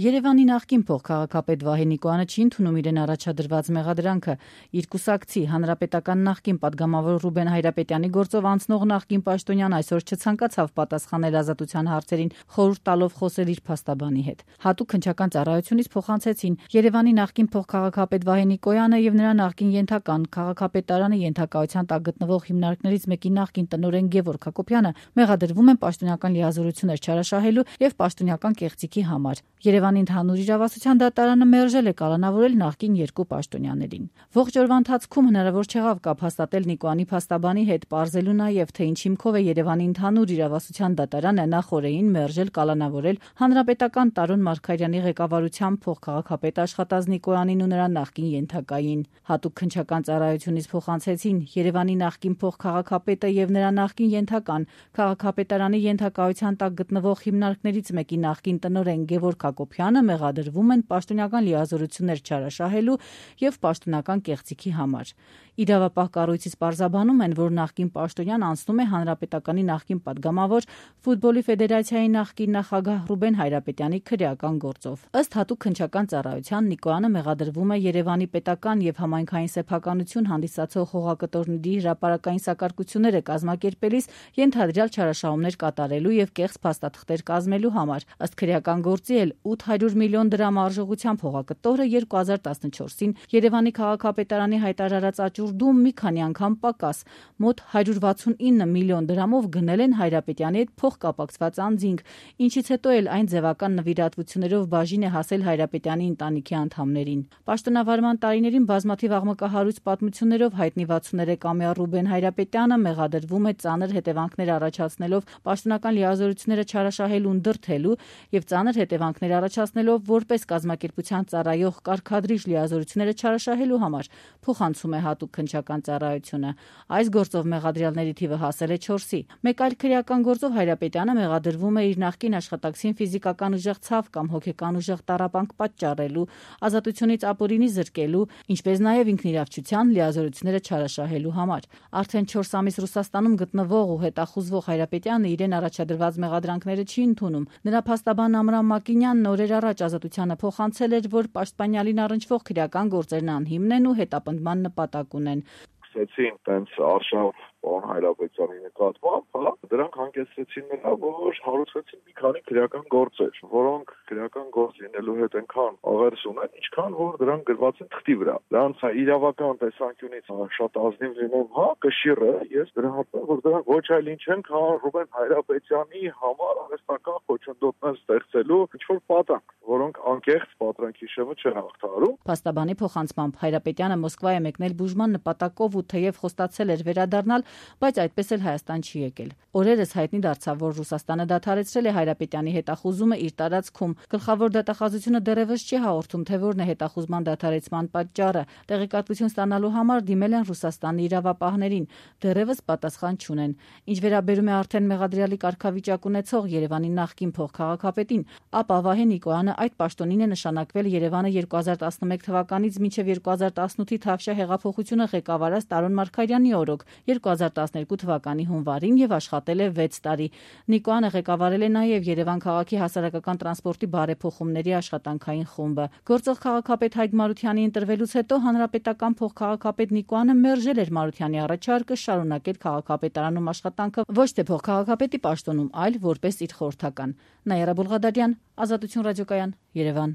Երևանի նախկին փոխքաղաքապետ Վահե Նիկոյանը չի ընդունում իրեն առաջադրված մեղադրանքը։ Իր կուսակցի հանրապետական նախկին պատգամավոր Ռուբեն Հայրապետյանի գործով անցնող նախկին պաշտոնյան այսօր չցանկացավ պատասխանել ազատության հարցերին, խորհուրդ տալով խոսել իր փաստաբանի հետ։ Հատուկ քննչական ծառայությունից փոխանցեցին Երևանի նախկին փոխքաղաքապետ Վահե Նիկոյանը եւ նրա նախկին ենթական քաղաքապետարանի ենթակայության տակ գտնվող հիմնարկներից մեկի նախկին տնօրեն Գևորգ Հակոբյանը մեղադրվում են պաշտոնական լիազորություններ չարաշահելու եւ պաշտոնական կեղծիքի համար։ Երևանի ընդհանուր իրավասության դատարանը մերժել է կալանավորել նախկին երկու պաշտոնյաներին։ Ողջ օրվա ընթացքում հնարավոր չեղավ կապ հաստատել Նիկոյանի փաստաբանի հետ, պարզելու նաև թե ինչ հիմքով է Երևանի ընդհանուր իրավասության դատարանը նախօրեին մերժել կալանավորել հանրապետական Տարոն Մարգարյանի ղեկավարությամբ փոխքաղաքապետ աշխատած Նիկոյանին ու նրա նախկին ենթակային։ Հատուկ քննչական ծառայությունից փոխանցեցին Երևանի նախկին փոխքաղաքապետը եւ նրա նախկին ենթական քաղաքապետարանի ենթակայության տակ գտնվող հիմնարկներից մեկի նախկին տնօրեն Գևորգ Հակոբյանը մեղադրվում են պաշտոնական լիազորություններ չարաշահելու եւ պաշտոնական կեղծիքի համար։ Իրավապահ կառույցից պարզաբանում են, որ նախկին պաշտոնյան անցնում է հանրապետականի նախկին պատգամավոր, ֆուտբոլի ֆեդերացիայի նախկին նախագահ Ռուբեն Հայրապետյանի քրեական գործով։ Ըստ հատուկ քննչական ծառայության Նիկոյանը մեղադրվում է Երևանի պետական եւ համայնքային սեփականություն հանդիսացող հողակտորների հրապարակային սակարկությունները կազմակերպելիս ենթադրյալ չարաշահումներ կատարելու եւ կեղծ փաստաթղթեր կազմելու համար։ Ըստ քրեական գործի էլ 800 միլիոն դրամ արժողությամբ հողակտորը 2014-ին Երևանի քաղաքապետարանի հայտարարած աճուրդում մի քանի անգամ պակաս մոտ 169 միլիոն դրամով գնել են Հայրապետյանի հետ փոխկապակցված անձինք, ինչից հետո էլ այն ձևական նվիրատվություններով բաժին է հասել Հայրապետյանի ընտանիքի անդամներին։ Պաշտոնավարման տարիներին բազմաթիվ աղմկահարույց պատմություններով հայտնի 63-ամյա Ռուբեն Հայրապետյանը մեղադրվում է ծանր հետևանքներ առաջացնելով պաշտոնական լիազորությունները չարաշահելուն դրդելու եւ ծանր հետևանքներ առաջացնելով որպես կազմակերպության ծառայող կարգադրիչ լիազորությունները չարաշահելու համար, փոխանցում է հատուկ քննչական ծառայությունը։ Այս գործով մեղադրյալների թիվը հասել է 4-ի։ Մեկ այլ քրեական գործով Հայրապետյանը մեղադրվում է իր նախկին աշխատակցին ֆիզիկական ուժեղ ցավ կամ հոգեկան ուժեղ տառապանք պատճառելու, ազատությունից ապօրինի զրկելու, ինչպես նաեւ ինքնիրավչության լիազորությունները չարաշահելու համար։ Արդեն 4 ամիս Ռուսաստանում գտնվող ու հետախուզվող Հայրապետյանը իրեն առաջադրված մեղադրանքները չի ընդունում։ Նրա փաստաբան Ամրամ Մակինյանն օրեր առաջ ազատությանը փոխանցել էր, որ պաշտպանյալին առնչվող քրեական գործերն անհիմն են ու հետապնդման նպատակ ունեն։ Սկսեցին տենց արշավ պարոն Հայրապետյանի նկատմամբ, դրանք հանգեցրեցին նրա, որ հարուցվեցին մի քանի քրեական գործեր, որոնք քրեական գործ լինելու հետ այնքան աղերս ունեն, ինչքան որ դրանք գրված են թղթի վրա։ Դրանց իրավական տեսանկյունից շատ ազնիվ լինում, կշիռը, ես դրա համար որ դրանք ոչ այլ ինչ են, քան Ռուբեն Հայրապետյանի համար արհեստական խոչընդոտներ ստեղծելու ինչ-որ պատանք, որոնք անկեղծ պատրանքի շեմը չեն հաղթահարում։ Փաստաբանի փոխանցմամբ Հայրապետյանը Մոսկվա է մեկնել բուժման նպատակով ու թեև խոստացել էր վերադառնալ, բայց այդպես էլ Հայաստան չի եկել։ Օրերս հայտնի դարձավ, որ Ռուսաստանը դադարեցրել է Հայրապետյանի հետախուզումը իր տարածքում։ Գլխավոր դատախազությունը դեռևս չի հաղորդում, թե որն է հետախուզման դադարեցման պատճառը։ Տեղեկատվություն ստանալու համար դիմել են Ռուսաստանի իրավապահներին, դեռևս պատասխան չունեն։ Ինչ վերաբերում է արդեն մեղադրյալի կարգավիճակ ունեցող Երևանի նախկին փոխքաղաքապետին, ապա Վահե Նիկոյանը այդ պաշտոնին է նշանակվել Երևանը 2011 թվականից մինչև 2018-ի Թավշյա հեղափոխությունը ղեկավարած Տարոն Մարգարյանի օրոք, 2012 թվականի հունվարին եւ աշխատել է 6 տարի։ Նիկոյանը ղեկավարել է նաեւ Երևան քաղաքի հասարակական տրանսպորտի բարեփոխումների աշխատանքային խումբը։ Գործող քաղաքապետ Հայկ Մարությանի ընտրվելուց հետո հանրապետական փոխքաղաքապետ Նիկոյանը մերժել էր Մարությանի առաջարկը շարունակել քաղաքապետարանում աշխատանքը ոչ թե փոխքաղաքապետի պաշտոնում, այլ որպես իր խորհրդական։ Նաիրա Բուլղադարյան, Ազատություն ռադիոկայան, Երևան։